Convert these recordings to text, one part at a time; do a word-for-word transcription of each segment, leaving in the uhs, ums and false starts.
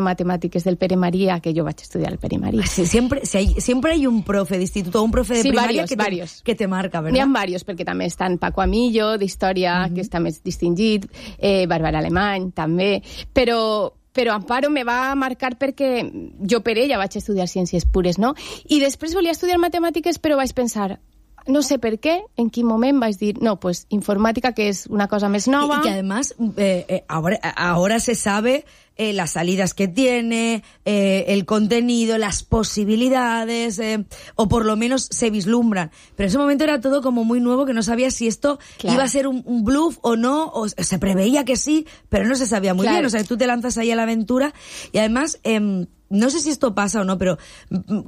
matemàtiques del Pere Maria, que jo vaig estudiar al Pere Maria. Sí, siempre, si hay, siempre hay un profe de instituto o un profe de sí, primaria varios, que, te, varios. que te marca, ¿verdad? N'hi ha varios, perquè també estan Paco Amillo, d'Història, uh-huh. que està més distingit, eh, Bàrbara Alemany, també, però... però Amparo me va marcar perquè jo per ella vaig estudiar ciències pures, no? I després volia estudiar matemàtiques, però vaig pensar, no sé per què, en quin moment vaig dir, no, pues informática, que es una cosa más nova. Y, y que además, eh, eh, ahora, ahora se sabe eh, las salidas que tiene, eh, el contenido, las posibilidades, eh, o por lo menos se vislumbran. Pero en ese momento era todo como muy nuevo, que no sabía si esto claro. iba a ser un, un bluff o no, o se preveía que sí, pero no se sabía muy claro. bien. O sea, tú te lanzas ahí a la aventura y además, eh, no sé si esto pasa o no, pero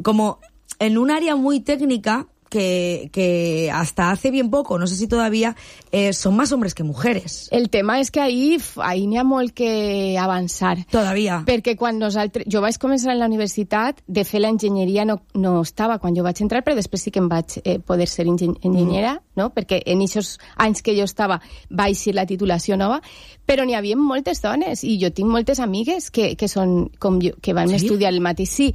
como en un área muy técnica, Que, que hasta hace bien poco, no sé si todavía, eh, son más hombres que mujeres. El tema és que ahí, ahí n'hi ha molt que avançar. Todavía. Perquè quan nosaltres... Jo vaig començar en la universitat, de fer l'enginyeria no, no estava quan jo vaig entrar, però després sí que em vaig eh, poder ser engen enginyera, mm. no? Perquè en aquests anys que jo estava vaig ser la titulació nova, però n'hi havia moltes dones, i jo tinc moltes amigues que, que són com jo, que van ¿Sí? estudiar el mateix. Sí,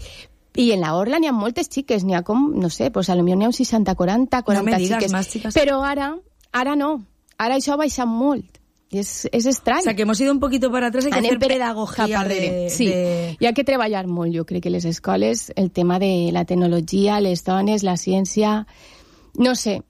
i en la Orla n'hi ha moltes xiques, n'hi ha com, no sé, pues a lo millor n'hi ha un seixanta quaranta, quaranta no me digas, xiques. Más chicas. Però ara, ara no. Ara això ha baixat molt. I és, és estrany. O sea, que hemos ido un poquito para atrás, hay que Anem hacer pedagogía de, sí. de... Hi ha que treballar molt, jo crec que les escoles, el tema de la tecnologia, les dones, la ciència, no sé,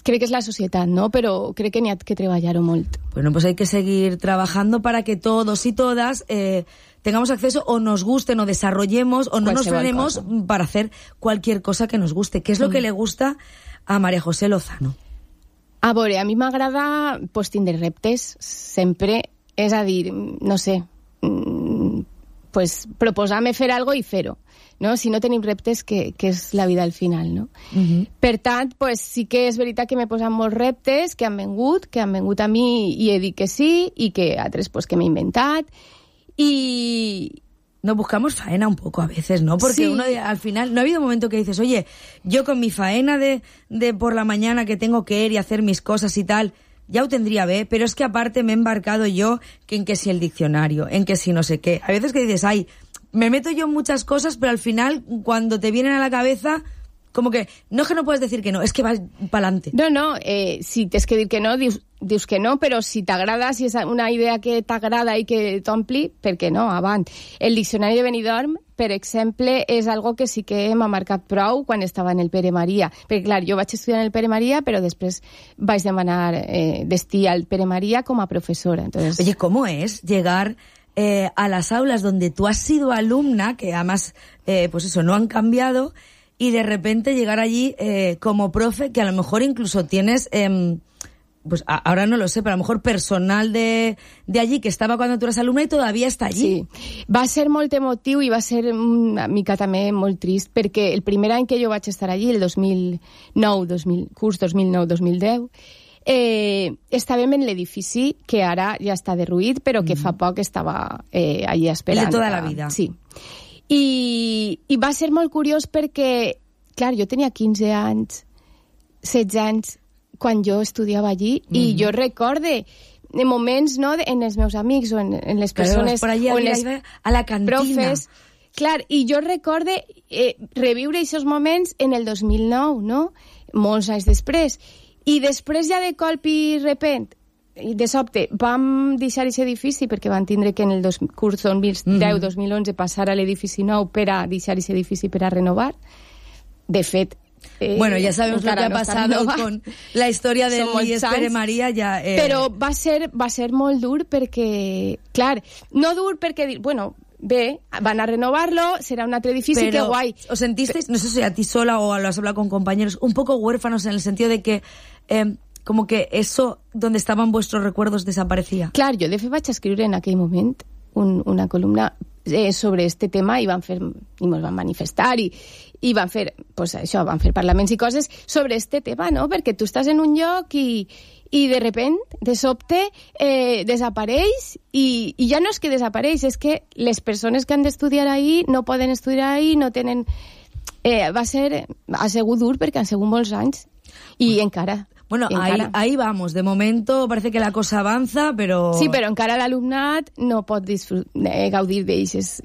crec que és la societat, ¿no? Però crec que n'hi ha que treballar-ho molt. Bueno, pues hay que seguir trabajando para que todos y todas eh, tengamos acceso o nos gusten o desarrollemos o no nos frenemos para hacer cualquier cosa que nos guste. ¿Qué es lo mm. que le gusta a María José Lozano? A veure, a mi m'agrada pues, tindre reptes sempre, és a dir, no sé, pues, proposar-me fer algo i fer-ho. No? Si no tenim reptes, que, que és la vida al final, no? Uh-huh. Per tant, pues, sí que és veritat que m'he posat molts reptes que han vengut, que han vengut a mi i he dit que sí, i que altres pues, que m'he inventat, y... Nos buscamos faena un poco a veces, ¿no? Porque sí. uno al final, no ha habido un momento que dices, oye, yo con mi faena de, de por la mañana que tengo que ir y hacer mis cosas y tal, ya lo tendría bé, pero es que aparte me he embarcado yo que en que si el diccionario, en que si no sé qué. Hay veces que dices, ay, me meto yo en muchas cosas, pero al final, cuando te vienen a la cabeza, como que, no es que no puedes decir que no, es que vas pa'lante. No, no, eh, si tens que dir que no, dius, dius que no, però si t'agrada, si és una idea que t'agrada i que t'ompli, per què no, avant. El diccionari de Benidorm, per exemple, és algo que sí que m'ha marcat prou quan estava en el Pere Maria. Perquè, clar, jo vaig estudiar en el Pere Maria, però després vaig demanar eh, destí al Pere Maria com a professora. Entonces... Oye, ¿cómo es llegar eh, a las aulas donde tú has sido alumna, que además, eh, pues eso, no han cambiado, y de repente llegar allí eh, como profe, que a lo mejor incluso tienes, eh, pues a, ahora no lo sé, pero a lo mejor personal de, de allí que estaba cuando tú eras alumna y todavía está allí? Sí, va ser molt emotiu i va ser una mica també molt trist, perquè el primer any que jo vaig estar allí, el dos mil nou, dos mil, curs dos mil nou dos mil deu, eh, estàvem en l'edifici que ara ja està derruït, però que mm. fa poc estava eh, allí esperant. El de tota la vida. Sí. I, i va ser molt curiós perquè, clar, jo tenia quinze anys, setze anys, quan jo estudiava allí, mm-hmm. i jo recorde en moments, no, en els meus amics o en, en les persones... Però allà, o en les a la cantina. Profes, clar, i jo recorde eh, reviure aquests moments en el dos mil nou, no? Molts anys després. I després ja de colp i repent, i de sobte vam deixar aquest edifici perquè van tindre que en el dos, curs dos mil deu dos mil onze passar a l'edifici nou per a deixar aquest edifici per a renovar. De fet, eh, bueno, ya sabemos lo que ha no pasado con la historia del I E S Pere Maria. Ja, eh... Però va ser, va ser molt dur perquè, clar, no dur perquè, bueno, bé, van a renovarlo, será un altre edifici, pero, qué guay. ¿Os sentisteis, no sé si a ti sola o lo has hablado con compañeros, un poco huérfanos en el sentido de que... Eh, como que eso donde estaban vuestros recuerdos desaparecía? Clar, jo de fet vaig escriure en aquell moment un, una columna eh, sobre este tema i van fer, i ens van manifestar i, i van fer, pues això, van fer parlaments i coses sobre este tema, no? Perquè tu estàs en un lloc i, i de repent, de sobte, eh, desapareix i, i ja no és que desapareix, és que les persones que han d'estudiar ahí no poden estudiar ahí, no tenen... Eh, va ser, ha sigut dur perquè han sigut molts anys i encara... Bueno, ahí, ahí vamos. De momento parece que la cosa avanza, pero... Sí, però encara l'alumnat no pot disfrut- eh, gaudir d'ells.